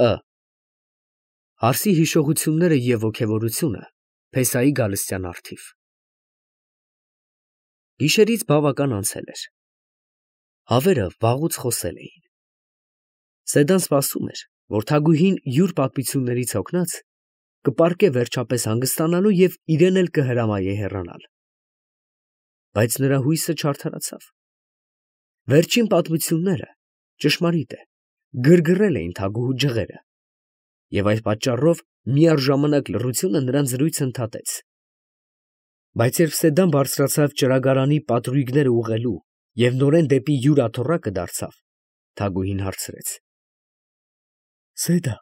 Ը. Հարսի հիշողությունները և ոգևորությունը Փեսայի Գալստյան առթիվ։ Գիշերից բավական անցել էր։ Հավերը վաղուց խոսել էին։ Սեդան սպասում էր, որ Թագուհին յուր պատմություններից հոգնած կպառկե վերջապես հանգստանալու և իրեն էլ կհրամայե հեռանալ։ Բայց նրա հույսը չարդարացավ։ Վերջին պատմությունները, ճշմարիտ է, գրգռել էին Թագուհու ջղերը, և այդ պատճառով միառժամանակ լռությունը նրան զրույցը ընդհատեց։ Բայց երբ Սեդան բարձրացավ ճրագարանի պատրույգները ուղղելու և նորեն դեպի յուր աթոռակը դարձավ, Թագուհին հարցրեց. Սեդա,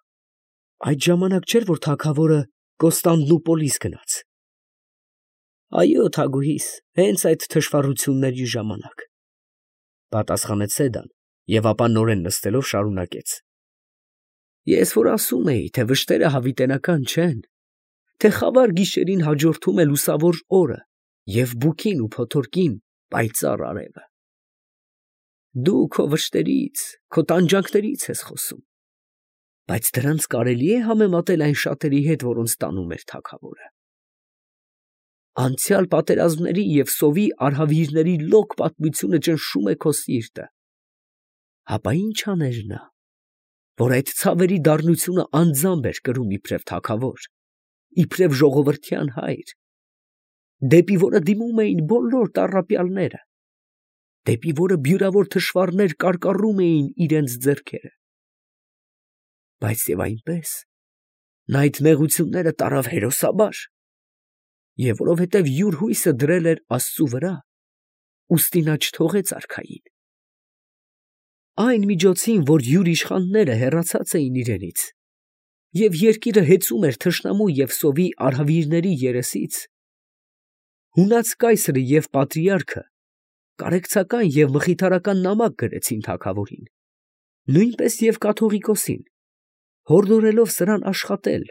այդ ժամանակ չէր, որ թագավորը Կոստանդնուպոլիս գնաց։ Այո, Թագուհիս, հենց այդ թշվառությունների ժամանակ, պատասխանեց Սեդան և ապա նորեն նստելով շարունակեց. Ես որ ասում էի, թե վշտերը հավիտենական չեն, թե խավար գիշերին հաջորդում է լուսավոր օրը և բուքին ու փոթորկին պայծառ արևը։ Դու քո վշտերից, քո տանջանքներից ես խոսում, բայց դրանց կարելի է համեմատել այն շատերի հետ, որոնց տանում էր թագավորը։ Անցյալ պատերազմների և սովի արհավիրների լոկ պատմությունը ճնշում է քո սիրտը։ Հապա ի՞նչ աներ նա, որ այդ ցավերի դառնությունը անձամբ էր կրում իբրև թագավոր, իբրև ժողովրդյան հայր, դեպի որը դիմում էին բոլոր տառապյալները, դեպի որը բյուրավոր թշվառներ կարկառում էին իրենց ձեռքերը։ Բայց և այնպես նա այդ նեղությունները տարավ հերոսաբար, և որովհետև յուր հույսը դրել էր Աստծու վրա, ուստի նա չթողեց արքային։ Այն միջոցին, որ յուր իշխանները հեռացած էին իրենից, և երկիրը հեծում էր թշնամու և սովի արհավիրների երեսից, հունած կայսրը և պատրիարքը կարեկցական և մխիթարական նամակ գրեցին թագավորին, նույնպես և կաթողիկոսին, հորդորելով սրան աշխատել,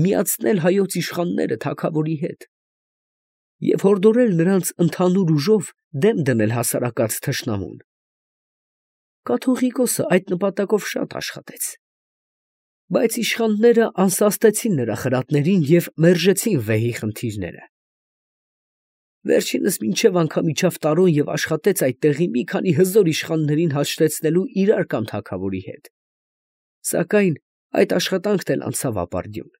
միացնել հայոց իշխանները թագավորի հետ և հորդորել նրանց ընդհանուր ուժով դեմ դնել հասարակած թշնամուն։ Կաթողիկոսը այդ նպատակով շատ աշխատեց, բայց իշխանները անսաստեցին նրա խրատներին և մերժեցին վեհի խնդիրները։ Վերջինս մինչև անգամ իջավ Տարոն և աշխատեց այդ տեղի մի քանի հզոր իշխաններին հաշտեցնելու իրար կամ թագավորի հետ, սակայն այդ աշխատանքն էլ անցավ ապարդյուն։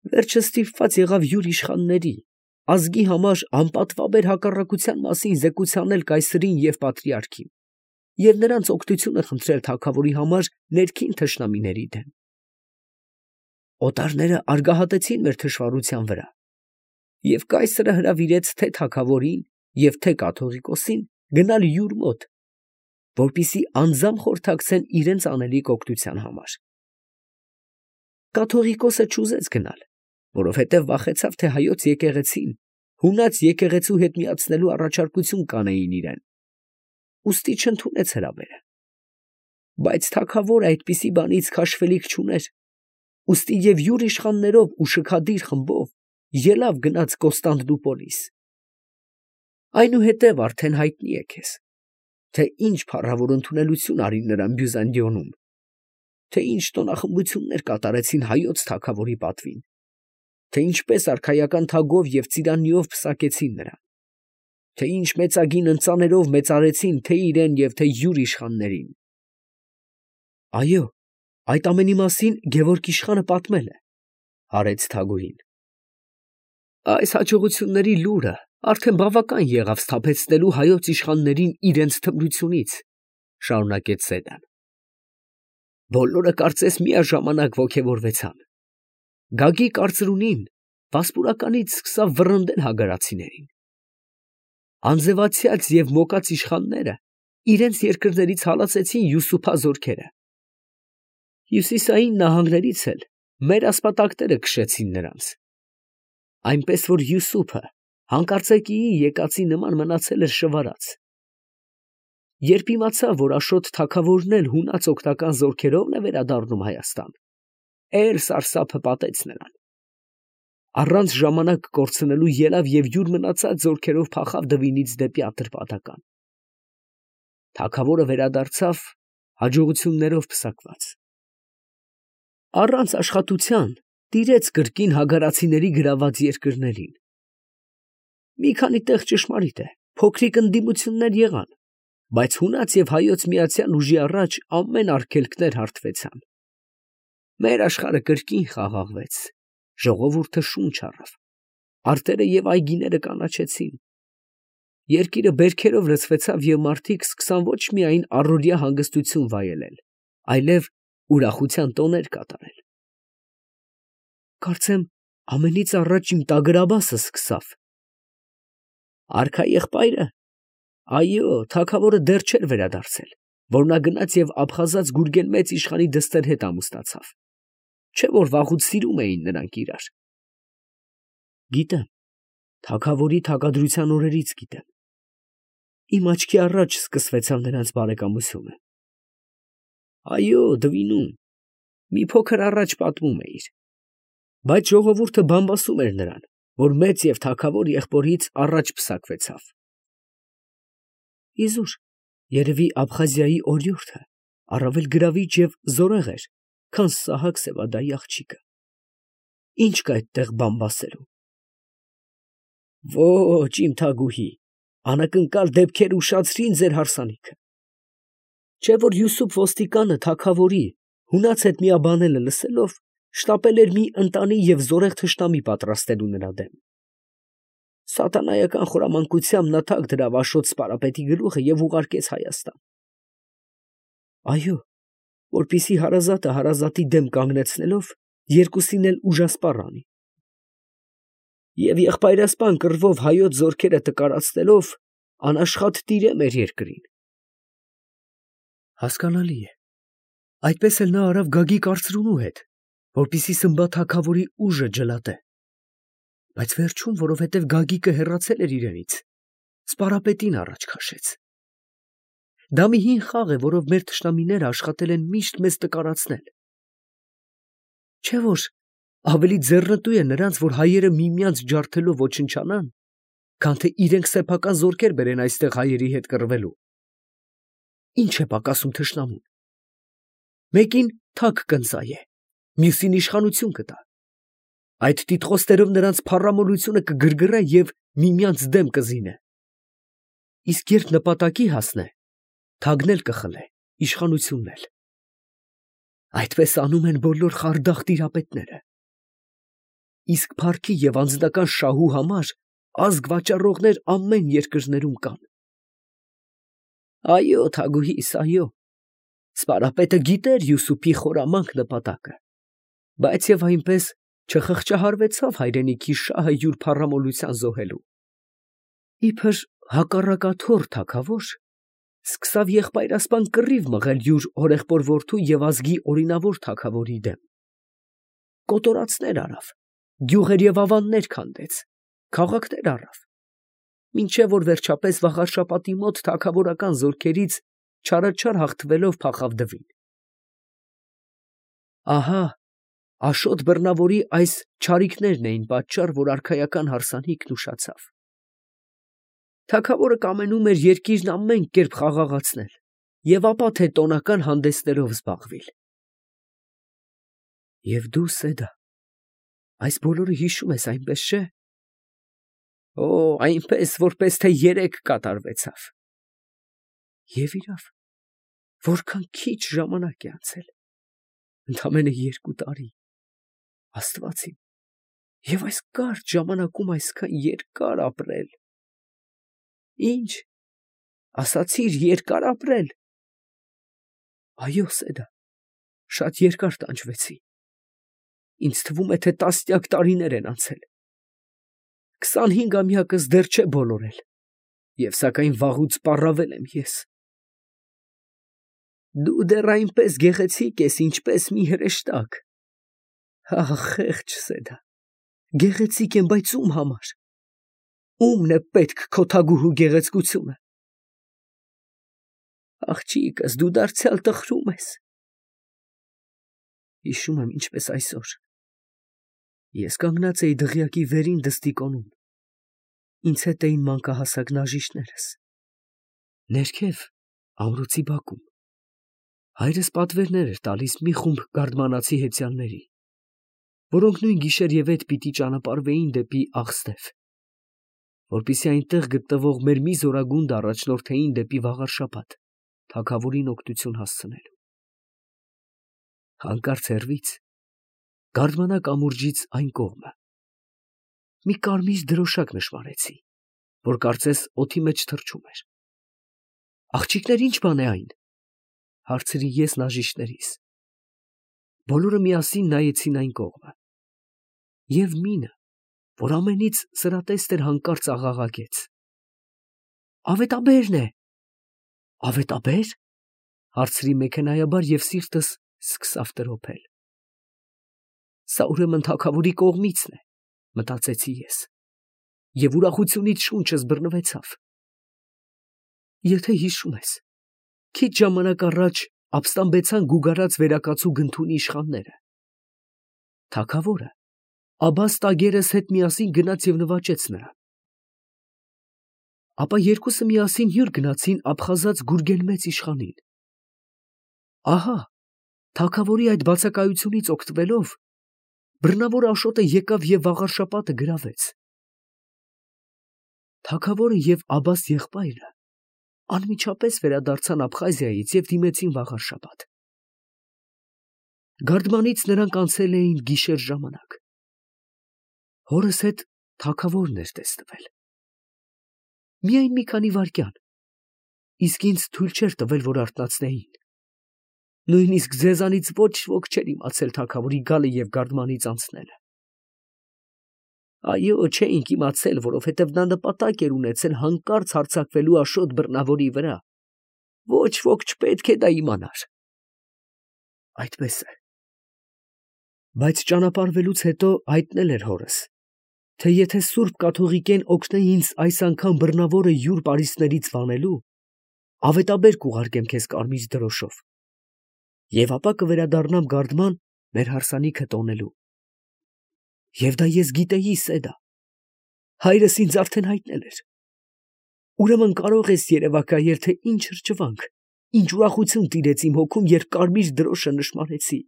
Վերջը ստիպված եղավ յուր իշխանների, ազգի համար անպատվաբեր հակառակության մասին զեկուցանել կայսրին և պատրիարքին և նրանց օգնությունը խնդրել թագավորի համար ներքին թշնամիների դեմ։ Օտարները արգահատեցին մեր թշվառության վրա, և կայսրը հրավիրեց թե թագավորին և թե կաթողիկոսին գնալ յուր մոտ, որպեսզի անձամբ խորհրդակցեն իրենց անելիք օգնության համար։ Կաթողիկոսը չուզեց գնալ, որովհետև վախեցավ, թե հայոց եկեղեցին հունած եկեղեցու հետ միացնելու առաջարկություն կանեին իրան, ուստի չընդունեց հրավերը։ Բայց թագավորը այդպիսի բանից քաշվելիք չուներ, ուստի և յուր իշխաններով ու շքադիր խմբով ելավ գնաց Կոստանդնուպոլիս։ Այնուհետև արդեն հայտնի է քեզ, թե ինչ փառավոր ընդունելություն արին նրան Բյուզանդիոնում, թե ինչ տոնախմբություններ կատարեցին հայոց թագավորի պատվին, թե ինչպես արքայական թագով և ծիրանիով պսակեցին նրան, թե ինչ մեծագին ընծաներով մեծարեցին թե իրեն և թե յուր իշխաններին։ Այո, այդ ամենի մասին Գևորգ իշխանը պատմել է, հարեց Թագուհին։ Այս հաջողությունների լուրը արդեն բավական եղավ սթափեցնելու հայոց իշխաններին իրենց թմրությունից, շարունակեց Սեդան։ Բոլորը կարծես միաժամանակ ոգևորվեցան։ Գագիկ արծրունին վասպուրականից սկսավ վռնդել հագարացիներին։ Անձևացյաց և մոկած իշխանները իրենց երկրներից հալածեցին Յուսուփա զորքերը։ Հյուսիսային նահանգներից էլ մեր ասպատակները քշեցին նրանց, այնպես որ Յուսուփը հանկարծակիի եկածի նման մնացել էր շվարած։ Երբ իմացավ, որ Աշոտ թագավորն էլ հունած օգնական զորքերով է վերադառնում Հայաստան, էլ սարսափը պատեց նրան։ Առանց ժամանակ կորցնելու ելավ և յուր մնացած զորքերով փախավ Դվինից դեպի Ատրպատական։ Թագավորը վերադարձավ հաջողություններով պսակված։ առանց աշխատության տիրեց կրկին հագարացիների գրաված երկրներին։ Մի քանի տեղ ճշմարիտ է, փոքրիկ ընդդիմություններ եղան, բայց հունաց և հայոց միացյալ ուժի առաջ ամեն արգելքներ հարթվեցան։ Մեր աշխարհը կրկին խաղաղվեց, ժողովուրդը շունչ առավ, արտերը և այգիները կանաչեցին։ Երկիրը բերքերով լցվեցավ և մարդիկ սկսան ոչ միայն առօրյա հանգստություն վայելել, այլև ուրախության տոներ կատարել։ Կարծեմ, ամենից առաջ իմ տագրաբասը սկսավ։ Արքա եղբայրը, այո, թագավորը դեռ չէր վերադարձել, որ նա գնաց և աբխազած Գուրգեն մեծ իշխանի դստեր հետ ամուսնացավ, չէ որ վաղուց սիրում էին նրանք իրար։ Գիտեմ, թագավորի թագադրության օրերից գիտեմ։ Իմ աչքի առաջ սկսվեցավ նրանց բարեկամությունը։ Այո, Դվինում, մի փոքր առաջ պատմում էիր, բայց ժողովուրդը բամբասում էր նրան, որ մեծ և թագավոր եղբորից առաջ պսակվեցավ։ Իզուր, երևի Աբխազիայի օրիորդը առավել գրավիչ և զորեղ էր, քան Սահակ Սևադայի աղջիկը։ Ինչ կա այդտեղ բամբասելու։ Ոչ, իմ թագուհի, անակնկալ դեպքեր ուշացրին ձեր հարսանիքը։ Չէ որ Յուսուփ ոստիկանը թագավորի հունաց հետ միաբանելը լսելով, շտապել էր մի ընտանի և զորեղ թշնամի պատրաստելու նրա դեմ։ Սատանայական խորամանկությամբ նա թագ դրավ Աշոտ սպարապետի գլուխը և ուղարկեց Հայաստան։ Այո, որպեսզի հարազատը հարազատի դեմ կանգնեցնելով, երկուսին էլ ուժասպառ անի։ Եվ եղբայրասպան կռվով հայոց զորքերը տկարացնելով, անաշխատ տիրե մեր երկրին։ Հասկանալի է։ Այդպես էլ նա արավ Գագիկ արծրունու հետ, որպեսզի Սմբա թագավորի ուժը ջլատե։ Բայց վերջում, որովհետև Գագիկը հեռացել էր իրենից, սպարապետին առաջ քաշեց։ Դա մի հին խաղ է, որով մեր թշնամիները աշխատել են միշտ մեզ տկարացնել։ Չէ որ ավելի ձեռնտու է նրանց, որ հայերը միմյանց ջարդելով ոչնչանան, քան թե իրենք սեփական զորքեր բերեն այստեղ հայերի հետ կռվելու։ Ինչ է պակասում թշնամուն։ Մեկին թագ կընծայե, մյուսին իշխանություն կտա։ Այդ տիտղոսներով նրանց փառամոլությունը կգրգռե և միմյանց դեմ կզինե։ Իսկ երբ նպատակի հասնե, թագն էլ կխլե, իշխանությունն էլ։ Այդպես անում են բոլոր խարդախ տիրապետները։ Իսկ փառքի և անձնական շահու համար ազգ վաճառողներ ամեն երկրներում կան։ Այո, թագուհիս, այո, սպարապետը գիտեր Յուսուփի խորամանկ նպատակը, բայց և այնպես չխղճահարվեցավ հայրենիքի շահը յուր փառամոլության զոհելու։ Իբր հակառակաթոռ թագավոր սկսավ եղբայրասպան կռիվ մղել յուր հորեղբոր որդու և ազգի օրինավոր թագավորի դեմ։ Կոտորածներ արավ, գյուղեր և ավաններ քանդեց, քաղաքներ առավ, մինչև որ վերջապես Վաղարշապատի մոտ թագավորական զորքերից չարաչար հաղթվելով փախավ Դվին։ Ահա Աշոտ բռնավորի այս չարիքներն էին պատճառ, որ արքայական հարսանիքն ուշացավ։ Թագավորը կամենում էր երկիրն ամեն կերպ խաղաղացնել և ապա թե տոնական հանդեսներով զբաղվիլ։ Եվ դու, Սեդա, այս բոլորը հիշում ես, այնպես չէ։ Օ, այնպես, որպես թե երեկ կատարվեցավ։ Եվ իրավ, որքան քիչ ժամանակ է անցել, ընդամենը 2 տարի, Աստված իմ, և այս կարճ ժամանակում այսքան երկար ապրել։ Ինչ, ասացիր երկար ապրել։ Այո, Սեդա, շատ երկար տանջվեցի։ Ինձ թվում է, թե տասնյակ տարիներ են անցել։ 25-ամյակս դեռ չէ բոլորել, և սակայն վաղուց պառավել եմ ես։ Դու դեռ այնպես գեղեցիկ ես, ինչպես մի հրեշտակ։ Ահ, խեղճ Սեդա, գեղեցիկ եմ, բայց ում համար։ Ո՞ւմն է պետք քո թագուհու գեղեցկությունը։ Աղջիկս, դու դարձյալ տխրում ես։ Հիշում եմ, ինչպես այսօր։ Ես կանգնած էի դղյակի վերին դստի կոնում։ Ինձ հետ էին մանկահասակ նաժիշներս։ Ներքև ամրոցի բակում Հայրս պատվերներ էր տալիս մի խումբ գարդմանացի հեծյալների, որոնք նույն գիշեր և ետ պիտի ճանապարհվեին դեպի Աղստև, որպեսզի այնտեղ գտնվող մեր մի զորագունդը առաջնորդեին դեպի Վաղարշապատ, թագավորին օգնություն հասցնելու։ Հանկարծ հեռվից, գարդմանա կամուրջից այն կողմը, մի կարմիր դրոշակ նշմարեցի, որ կարծես օդի մեջ թռչում էր։ «Աղջիկներ, ի՞նչ բան է այն», հարցրի ես նաժիշտներիս։ Բոլորը միասին նայեցին այն կողմը, և մինը, որ ամենից սրատեստ էր, հանկարծ աղաղակեց. «Ավետաբերն է»։ «Ավետաբե՞ր», հարցրի մեքենայաբար և սիրտս սկսավ տրոփել։ «Սա ուրեմն թագավորի կողմիցն է», մտածեցի ես, և ուրախությունից շունչս բռնվեցավ։ Եթե հիշում ես, քիչ ժամանակ առաջ ապստամբեցան գուգարած վերակացու գնդունի իշխանները։ Թագավորը Աբբաս տագերս հետ միասին գնաց և նվաճեց նրան։ Ապա երկուսը միասին հյուր գնացին աբխազած Գուրգենմեծ իշխանին։ Ահա, թագավորի այդ բացակայությունից օգտվելով, բռնավոր Աշոտը եկավ և Վաղարշապատը գրավեց։ Թագավորը և Աբբաս եղբայրը անմիջապես վերադարձան Աբխազիայից և դիմեցին Վաղարշապատ։ Գարդմանից նրանք անցել էին գիշեր ժամանակ։ Հորս հետ թագավորն էր տեսնվել։ Միայն մի քանի վայրկյան, իսկ ինձ թույլ չէր տվել, որ արթնացնեին։ Նույնիսկ ձեզանից ոչ ոք չէր իմացել թագավորի գալը և գարդմանից անցնելը։ Այո, չէինք իմացել, որովհետև նա նպատակ էր ունեցել հանկարծ հարձակվելու Աշոտ բռնավորի վրա։ Ոչ ոք չպետք է դա իմանար։ Այդպես է։ Բայց ճանապարհվելուց հետո հայտնել էր հորս, թե եթե սուրբ կաթողիկեն օգնե ինձ այս անգամ բռնավորը յուր պարիսպներից վանելու, ավետաբեր կուղարկեմ քեզ կարմիր դրոշով, և ապա կվերադառնամ գարդման մեր հարսանիքը տոնելու։ Եվ դա ես գիտեի, Սեդա, հայրս ինձ արդեն հայտնել էր։ Ուրեմն կարող ես երևակայել, թե ինչ հրճվանք, ինչ ուրախություն տիրեց իմ հոգում, երբ կարմիր դրոշը նշմարեցի։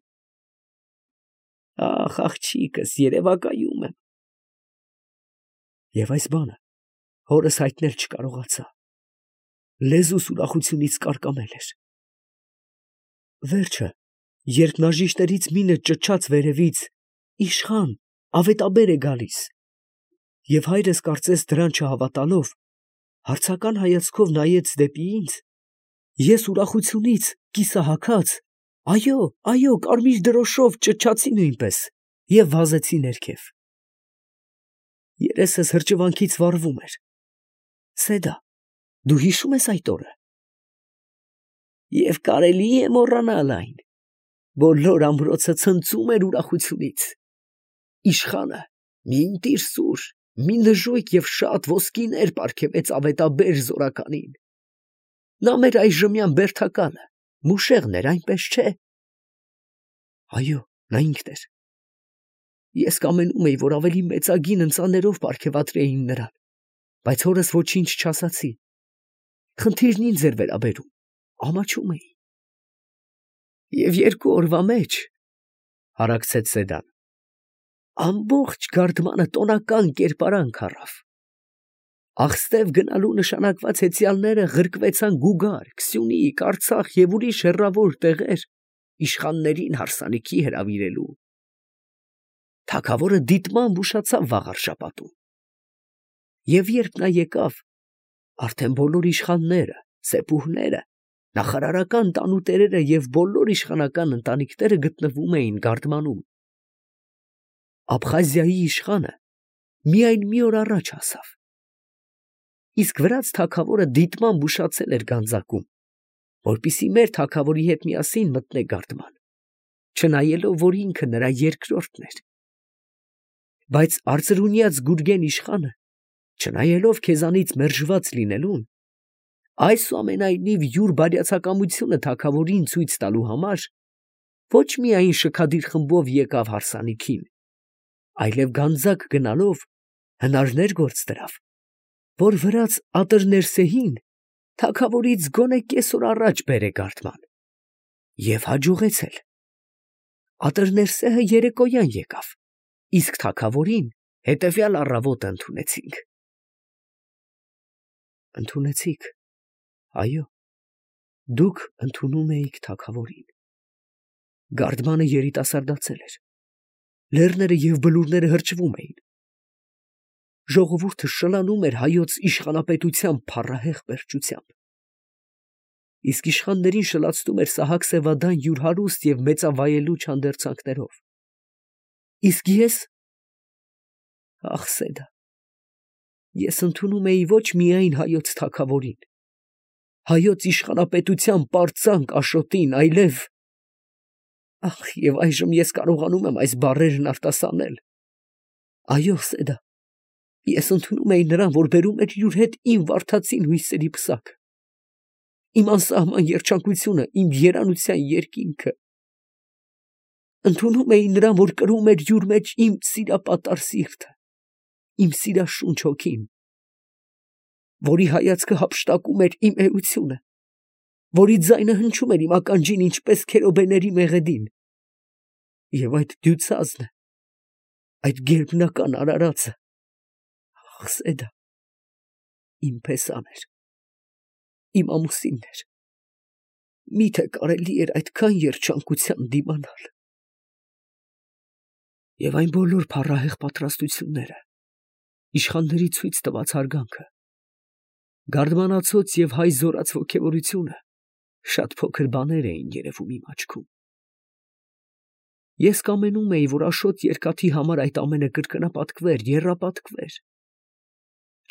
Ախ, աղջիկս, երևակայում եմ։ Եվ այս բանը հորս հայտնել չկարողացա։ Լեզուս ուրախությունից կարկամել էր։ Վերջը, երբ նաժիշտերից մինը ճչաց վերևից. «Իշխան, ավետաբեր է գալիս», և հայրս կարծես դրան չհավատալով, հարցական հայացքով նայեց դեպի ինձ, ես ուրախությունից կիսահագած, այո, այո, կարմիր դրոշով ճչացի նույնպես և վազեցի ներքև։ Երեսս հրճվանքից վառվում էր։ Սեդա, դու հիշո՞ւմ ես այդ օրը։ Եվ կարելի է մոռանալ այն։ Բոլոր ամրոցը ցնծում էր ուրախությունից։ Իշխանը մի ընտիր սուր, մի նժույգ և շատ ոսկիներ պարգևեց ավետաբեր զորականին։ Նա մեր այժմյան բերդակալը, Մուշեղն էր, այնպես չէ։ Այո, նա ինքն էր։ Ես կամենում էի, որ ավելի մեծագին ընծաներով պարգևատրեին նրան, բայց հորս ոչինչ չասացի։ Խնդիրն ինձ էր վերաբերում, ամաչում էի։ Եվ 2 օրվա մեջ, հարաքցեց Սեդան, ամբողջ գարդմանը տոնական կերպարանք առավ։ Աղստև գնալու նշանակված հեծյալները ղրկվեցան Գուգար, Քսյունիք, Արցախ և ուրիշ հեռավոր տեղեր իշխաններին հարսանիքի հրավիրելու։ Թագավորը դիտմամբ ուշացավ Վաղարշապատում։ Եվ երբ նա եկավ, արդեն բոլոր իշխանները, սեպուհները, նախարարական տանուտերերը և բոլոր իշխանական ընտանիքները գտնվում էին գարդմանում։ Աբխազիայի իշխանը միայն մի օր առաջ հասավ։ Իսկ վրաց թագավորը դիտմամբ ուշացել էր գանձակում, որպեսզի մեր թագավորի հետ միասին մտնե գարդման, չնայելով, որ ինքը նրա երկրորդն էր։ Բայց արծրունյաց Գուրգեն իշխանը, չնայելով քեզանից մերժված լինելուն, այսուամենայնիվ յուր բարյացակամությունը թագավորին ցույց տալու համար, ոչ միայն շքադիր խմբով եկավ հարսանիքին, այլև գանձակ գնալով հնարներ գործ դրավ, որ վրաց Ատրներսեհին թագավորից գոնե կեսօր առաջ բերե գարդման, Եվ հաջողեցել։ Ատրներսեհը երեկոյան եկավ, իսկ թագավորին հետևյալ առավոտը ընդունեցինք։ Ընդունեցիք, այո, դուք ընդունում էիք թագավորին։ Գարդմանը երիտասարդացել էր, լեռները և բլուրները հրճվում էին, ժողովուրդը շլանում էր հայոց իշխանապետության փառահեղ պերճությամբ, իսկ իշխաններին շլացնում էր Սահակ Սևադան յուր հարուստ և մեծավայելուչ հանդերձանքներով։ Իսկ ես, ախ Սեդա, ես ընդունում էի ոչ միայն հայոց թագավորին, հայոց իշխանապետության պարծանք Աշոտին, այլև… Ախ, և այժմ ես կարողանում եմ այս բառերն արտասանել։ Այո, Սեդա, ես ընդունում էի նրան, որ բերում էր յուր հետ իմ վարդացին հույսերի պսակը, իմ անսահման երջանկությունը, իմ երանության երկինքը։ Ընդունում էի նրան, որ կրում էր յուր մեջ իմ սիրապատար սիրտը, իմ սիրաշունչ հոգին, որի հայացքը հափշտակում էր իմ էությունը, որի ձայնը հնչում էր իմ ականջին ինչպես քերոբեների մեղեդին։ Եվ այդ դյուցազնը, այդ գերբնական արարածը, ախ Սեդա, իմ փեսան էր, իմ ամուսինն էր, միթե կարելի էր այդքան երջանկության դիմանալ։ Եվ այն բոլոր փառահեղ պատրաստությունները, իշխանների ցույց տված հարգանքը, գարդմանացոց և հայ զորած ոգևորությունը շատ փոքր բաներ էին երևում իմ աչքում։ Ես կամենում էի, որ Աշոտ Երկաթի համար այդ ամենը կրկնապատկվեր, եռապատկվեր,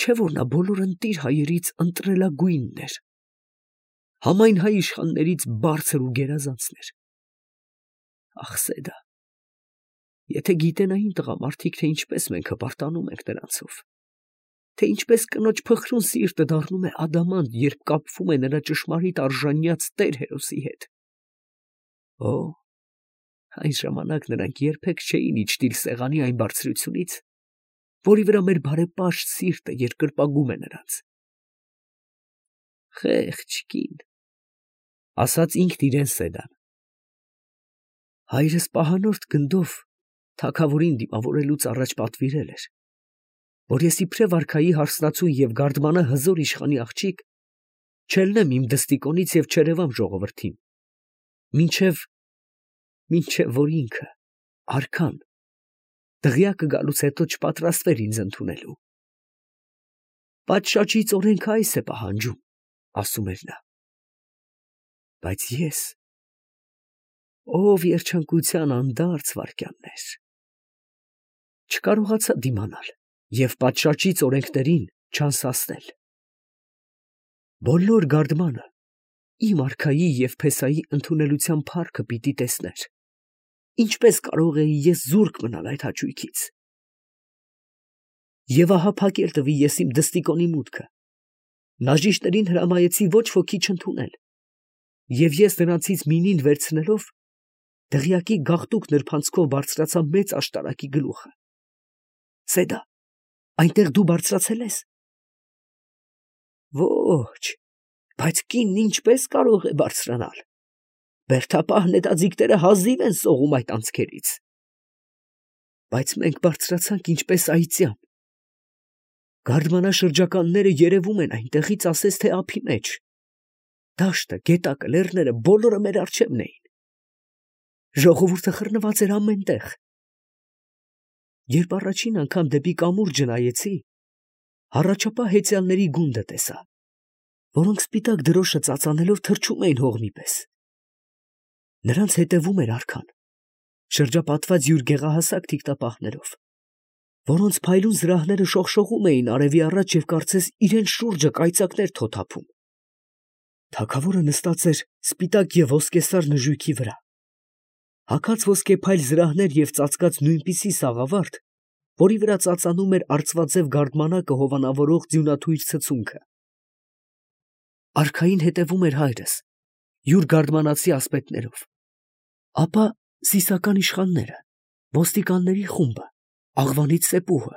չէ՞ որ նա բոլոր ընտիր հայերից ընտրելագույնն էր, համայն հայ իշխաններից բարձր ու գերազանցն էր։ Ախ Սեդա, եթե գիտենային տղամարդիկ, թե ինչպես մենք հպարտանում ենք նրանցով, թե ինչպես կնոջ փխրուն սիրտը դառնում է ադամանտ, երբ կապվում է նրա ճշմարիտ արժանյաց տեր հերոսի հետ։ Օ, այն ժամանակ նրանք երբեք չէին իջնիլ սեղանի այն բարձրությունից, որի վրա մեր բարեպաշտ սիրտը երկրպագում է նրանց։ Խեղճ կին, ասաց ինքն իրեն Սեդան։ Հայրս պահանորդ գնդով թագավորին դիմավորելուց առաջ պատվիրել էր, որ ես իբրև արքայի հարսնացու և գարդմանը հզոր իշխանի աղջիկ չելնեմ իմ դստիկոնից և չերևամ ժողովրդին, մինչև որ ինքը, արքան, դղյակը գալուց հետո չպատրաստվեր ինձ ընդունելու։ Պատշաճից օրենքը այս է պահանջում, ասում էր նա։ Բայց ես, ով երջանկության անդարձ վայրկյաններ, չկարողացա դիմանալ և պատշաճից օրենքներին չանսացնել։ Բոլոր գարդմանը իմ արքայի և փեսայի ընդունելության փառքը պիտի տեսներ։ Ինչպես կարող էի ես զուրկ մնալ այդ հաճույքից։ Եվ ահա փակել տվի ես իմ դստիկոնի մուտքը, նաժիշտներին հրամայեցի ոչ ոքի չընդունել, և ես նրանցից մինին վերցնելով, դղյակի գաղտուկ նրբանցքով բարձրացա մեծ աշտարակի գլուխը։ Սեդա, այնտեղ դու բարձրացել ես։ Ոչ, բայց կինն ինչպես կարող է բարձրանալ։ Բերդապահ նետաձիգները հազիվ են սողում այդ անցքերից։ Բայց մենք բարձրացանք ինչպես այծյան։ Գարդմանաշրջականները երևում են այնտեղից ասես թե ափի մեջ։ Դաշտը, գետակը, լեռները բոլորը մեր առջևն էին։ Ժողովուրդը խռնված էր ամեն տեղ։ Երբ առաջին անգամ դեպի կամուրջը նայեցի, հառաչապահ հեծյալների գունդը տեսա, որոնք սպիտակ դրոշը ծածանելով թռչում էին հողմի պես։ Նրանց հետևում էր արքան, շրջապատված յուր գեղահասակ թիկտապահներով, որոնց փայլուն զրահները շողշողում էին արևի առաջ և կարծես իրեն շուրջը կայծակներ թոթափում։ Թագավորը նստած էր սպիտակ և ոսկեսար նժույգի վրա, հագած ոսկեփայլ զրահներ և ծածկած նույնպիսի սաղավարտ, որի վրա ծածանում էր արծվաձև գարդմանակը հովանավորող ձյունաթույր ցցունքը։ Արքային հետևում էր հայրս, յուր գարդմանացի ասպետներով, ապա սիսական իշխանները, ոստիկանների խումբը, աղվանից սեպուհը,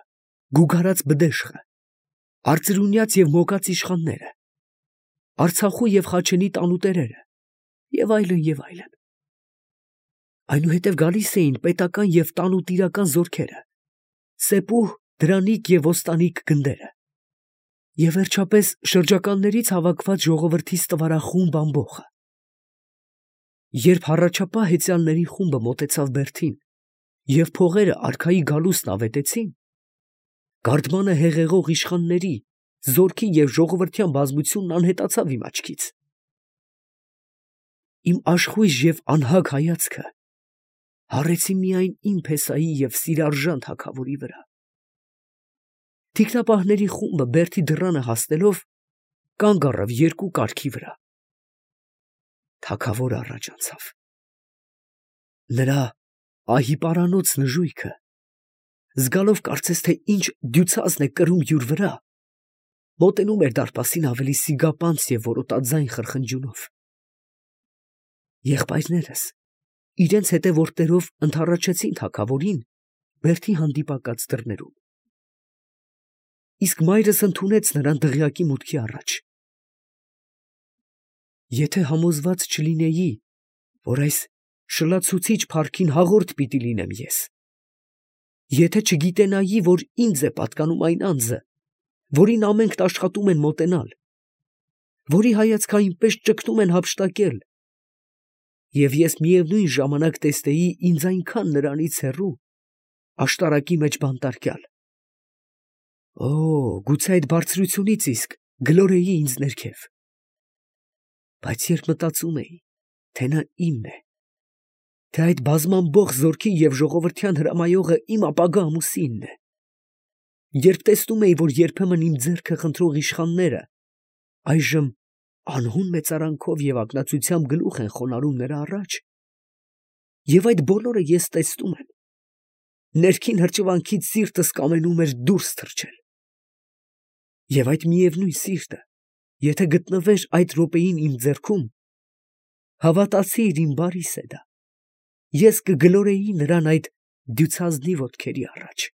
գուգարած բդեշխը, արծրունյաց և մոգած իշխանները, Արցախու և Խաչենի տանուտերերը և այլն և այլն։ Այնուհետև գալիս էին պետական և տանուտիրական զորքերը, սեպուհ, դրանիկ և ոստանիկ գնդերը, և վերջապես շրջականներից հավաքված ժողովրդի ստվարախումբ ամբոխը։ Երբ հառաչապահ հեծյալների խումբը մոտեցավ Բերդին և փողերը արքայի գալուստն ավետեցին, գարդմանը հեղեղող իշխանների, զորքի և ժողովրդյան բազմությունն անհետացավ իմ աչքից։ Իմ աշխույժ և անհագ հայացքը հառեցի միայն իմ փեսայի և սիրարժան թագավորի վրա։ Թիկնապահների խումբը Բերդի դռանը հասնելով, կանգ առավ երկու կառքի վրա։ Թագավորը առաջ անցավ։ Նրա ահի պարանոց նժույգը, զգալով կարծես թե ինչ դյուցազն է կրում յուր վրա, մոտենում էր դարպասին ավելի սիգապանծ և որոտաձայն խրխնջյունով։ Եղբայրներս իրենց հետևորդներով ընդառաջեցին թագավորին Բերդի հանդիպակաց դռներում, իսկ մայրս ընդունեց նրան դղյակի մուտքի առաջ։ Եթե համոզված չլինեի, որ այս շլացուցիչ փառքին հաղորդ պիտի լինեմ ես, եթե չգիտենայի, որ ինձ է պատկանում այն անձը, որին ամենքն աշխատում են մոտենալ, որի հայացքը այնպես ճգնում են հափշտակել, և ես միևնույն ժամանակ տեսնեի ինձ այնքան նրանից հեռու, աշտարակի մեջ բանտարկյալ, գուցե այդ բարձրությունից իսկ գլորեի ինձ ներքև։ Բայց երբ մտածում էի, թե նա իմն է, թե այդ բազմամբոխ զորքի և ժողովրդյան հրամայողը իմ ապագա ամուսինն է, երբ տեսնում էի, որ երբեմն իմ ձեռքը խնդրող իշխանները այժմ անհուն մեծարանքով և ակնածությամբ գլուխ են խոնարհում նրա առաջ, և այդ բոլորը ես տեսնում եմ, ներքին հրճվանքից սիրտս կամենում էր դուրս թռչել։ Եվ այդ միևնույն սիրտը, եթե գտնվեր այդ րոպեին իմ ձեռքում, հավատացիր իմ բարի Սեդա, ես կգլորեի նրան այդ դյուցազնի ոտքերի առաջ։